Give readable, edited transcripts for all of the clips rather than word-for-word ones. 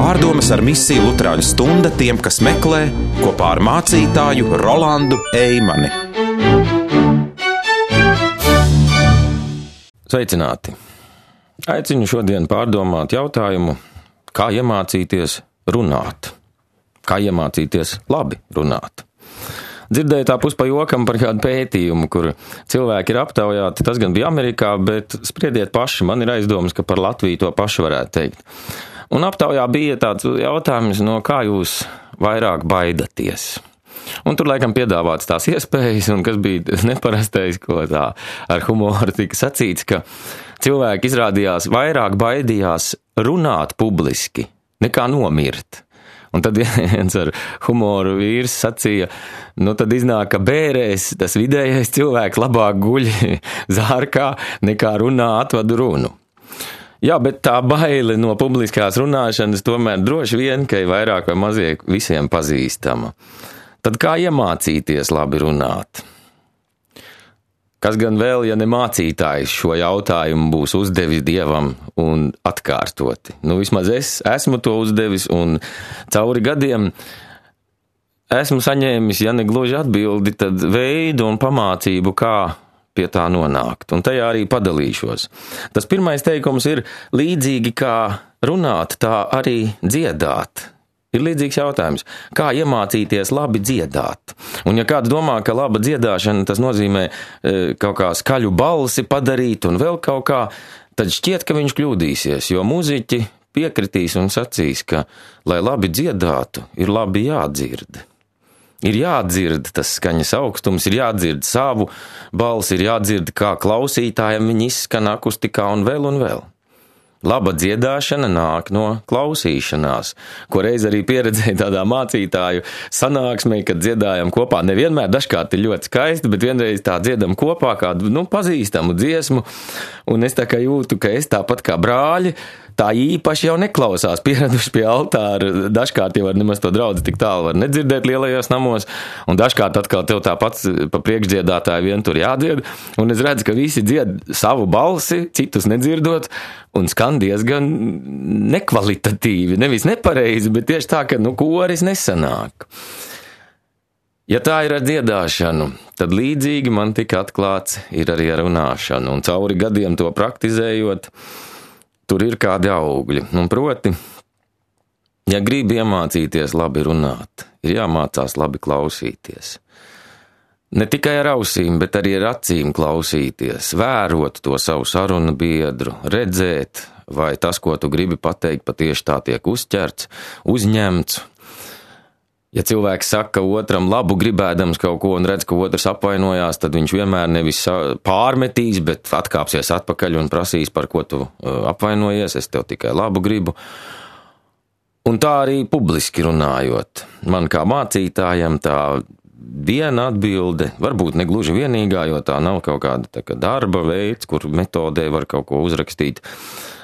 Pārdomas ar misiju Luterāņu stunda tiem, kas meklē, kopā ar mācītāju Rolandu Eimani. Sveicināti! Aicinu šodien pārdomāt jautājumu, kā iemācīties runāt. Kā iemācīties labi runāt. Dzirdēju tā pa jokam par kādu pētījumu, kur cilvēki ir aptaujāti, tas gan bija Amerikā, bet spriediet paši, man ir aizdomas, ka par Latviju to pašu varētu teikt. Un aptaujā bija tāds jautājums, no kā jūs vairāk baidaties. Un tur laikam piedāvāts tās iespējas, un kas bija neparastais, ko tā ar humoru tika sacīts, ka cilvēki izrādījās vairāk baidījās runāt publiski nekā nomirt. Un tad viens ar humoru vīrs sacīja, tad iznāk, ka bērēs tas vidējais cilvēks labāk guļ zārkā nekā runā atvadu runu. Jā, bet tā baile no publiskās runāšanas tomēr droši vien, ka ir vairāk vai mazāk visiem pazīstama. Tad kā iemācīties labi runāt? Kas gan vēl, ja ne mācītājs šo jautājumu būs uzdevis Dievam un atkārtoti? Vismaz es esmu to uzdevis un cauri gadiem esmu saņēmis, ja ne gluži atbildi, tad veidu un pamācību, kā pie tā nonākt. Un tajā arī padalīšos. Tas pirmais teikums ir līdzīgi kā runāt, tā arī dziedāt. Ir līdzīgs jautājums, kā iemācīties labi dziedāt. Un ja kāds domā, ka laba dziedāšana tas nozīmē kaut kā skaļu balsi padarīt un vēl kaut kā, tad šķiet, ka viņš kļūdīsies, jo muziķi piekritīs un sacīs, ka, lai labi dziedātu, ir labi jādzird. Ir jādzird tas skaņas augstums, ir jādzird savu balsi, ir jādzird, kā klausītājiem viņi izskan akustikā un vēl. Laba dziedāšana nāk no klausīšanās, ko reiz arī pieredzēju tādā mācītāju sanāksmē, kad dziedājam kopā. Nevienmēr, dažkārt ir ļoti skaisti, bet vienreiz tā dziedam kopā kādu pazīstamu dziesmu, un es tā kā jūtu, ka es tāpat kā brāļi, tā īpaši jau neklausās, pieraduši pie altāra. Dažkārt jau var nemaz to draudzi tik tālu var nedzirdēt lielajos namos, un dažkārt atkal tev tāpat pa priekšdziedātāju vien tur jādzied, un es redzu, ka visi dzied savu balsi, citus nedzirdot, un skan diezgan nekvalitatīvi, nevis nepareizi, bet tieši tā, ka koris nesanāk. Ja tā ir ar dziedāšanu, tad līdzīgi man tika atklāts ir arī ar runāšanu, un cauri gadiem to praktizējot, tur ir kādi augļi. Un proti, ja gribi iemācīties labi runāt, ir jāmācās labi klausīties. Ne tikai ar ausīm, bet arī ar acīm klausīties, vērot to savu sarunu biedru, redzēt, vai tas, ko tu gribi pateikt, patieši tā tiek uzķerts, uzņemts. Ja cilvēks saka otram labu gribēdams kaut ko un redz, ka otrs apvainojās, tad viņš vienmēr nevis pārmetīs, bet atkāpsies atpakaļ un prasīs, par ko tu apvainojies, es tev tikai labu gribu. Un tā arī publiski runājot. Man kā mācītājam tā viena atbilde, varbūt ne gluži vienīgā, jo tā nav kaut kāda tā kā darba veids, kur metodē var kaut ko uzrakstīt.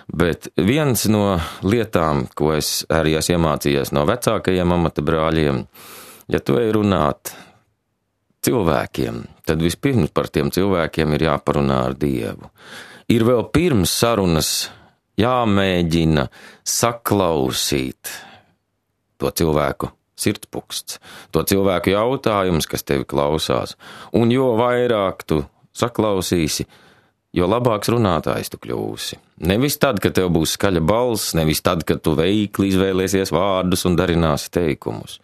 Bet viens no lietām, ko es arī esmu iemācījies no vecākajiem amata brāļiem, ja tu ej runāt cilvēkiem, tad vispirms par tiem cilvēkiem ir jāparunā ar Dievu. Ir vēl pirms sarunas jāmēģina saklausīt to cilvēku sirdspuksts, to cilvēku jautājums, kas tevi klausās. Un jo vairāk tu saklausīsi, jo labāks runātājs tu kļūsi. Nevis tad, kad tev būs skaļa balss, nevis tad, kad tu veikli izvēlēsies vārdus un darināsi teikumus.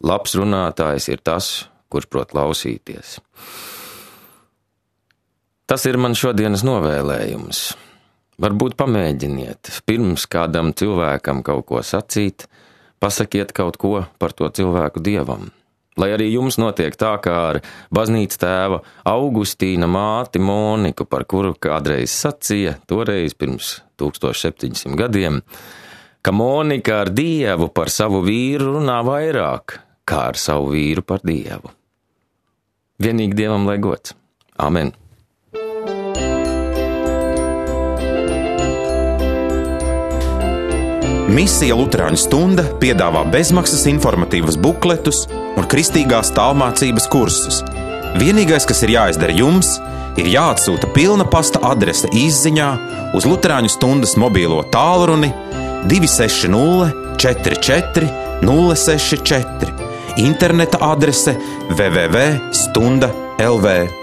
Labs runātājs ir tas, kurš prot klausīties. Tas ir man šodienas novēlējums. Varbūt pamēģiniet, pirms kādam cilvēkam kaut ko sacīt, pasakiet kaut ko par to cilvēku Dievam. Lai arī jums notiek tā, kā ar baznīcas tēva Augustīna māti Moniku, par kuru kādreiz sacīja, toreiz pirms 1700 gadiem, ka Monika ar Dievu par savu vīru runā vairāk, kā ar savu vīru par Dievu. Vienīgi Dievam lai gods. Amen. Misija Luterāņu stunda piedāvā bezmaksas informatīvas bukletus un kristīgās tālmācības kursus. Vienīgais, kas ir jāizdara jums, ir jāatsūta pilna pasta adrese izziņā uz Luterāņu stundas mobilo tālruni 260 44 064, interneta adrese www.stunda.lv.